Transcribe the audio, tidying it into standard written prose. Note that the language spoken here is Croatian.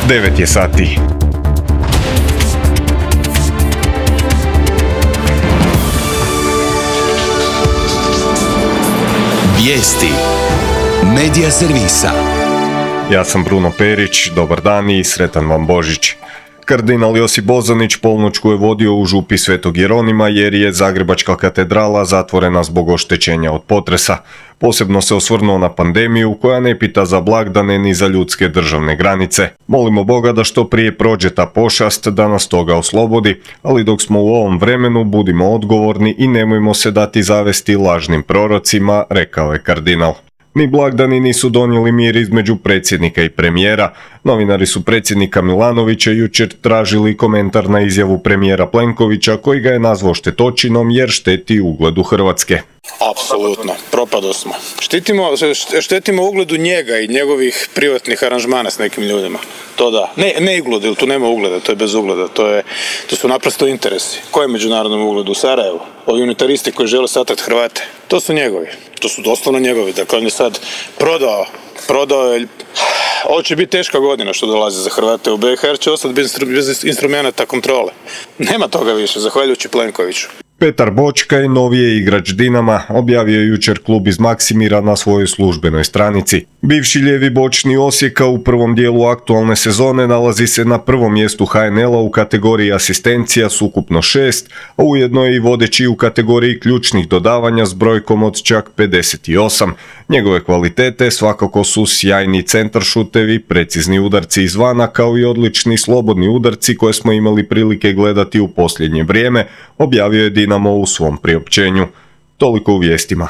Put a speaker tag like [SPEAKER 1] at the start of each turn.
[SPEAKER 1] 9 je sati.
[SPEAKER 2] Vijesti Medija servisa.
[SPEAKER 1] Ja sam Bruno Perić, dobar dan i sretan vam Božić. Kardinal Josip Bozanić polnoćku je vodio u župi Svetog Jeronima jer je Zagrebačka katedrala zatvorena zbog oštećenja od potresa. Posebno se osvrnuo na pandemiju koja ne pita za blagdane ni za ljudske državne granice. Molimo Boga da što prije prođe ta pošast, da nas toga oslobodi, ali dok smo u ovom vremenu budimo odgovorni i nemojmo se dati zavesti lažnim prorocima, rekao je kardinal. Ni blagdani nisu donijeli mir između predsjednika i premijera. Novinari su predsjednika Milanovića jučer tražili komentar na izjavu premijera Plenkovića koji ga je nazvao štetočinom jer šteti ugledu Hrvatske.
[SPEAKER 3] Apsolutno, propado smo. Štetimo ugledu njega i njegovih privatnih aranžmana s nekim ljudima. To da. Ne ugled, jer tu nema ugleda, to je bez ugleda. To su naprosto interesi. Koje je međunarodnom ugledu u Sarajevu? Ovi unitaristi koji žele satrat Hrvate. To su njegovi. To su doslovno njegovi. Dakle, on je sad prodao je. Ovo će biti teška godina što dolazi za Hrvate u BiH jer će ostati bez instrumenta kontrole. Nema toga više, zahvaljujući Plenkoviću.
[SPEAKER 1] Petar Bočkaj, novije igrač Dinama, objavio je jučer klub iz Maksimira na svojoj službenoj stranici. Bivši lijevi bočni Osijeka u prvom dijelu aktualne sezone nalazi se na prvom mjestu HNL-a u kategoriji asistencija s ukupno 6, a ujedno je i vodeći u kategoriji ključnih dodavanja s brojkom od čak 58. Njegove kvalitete svakako su sjajni centaršutevi, precizni udarci izvana kao i odlični slobodni udarci koje smo imali prilike gledati u posljednje vrijeme, objavio je Dinamo u svom priopćenju. Toliko u vijestima.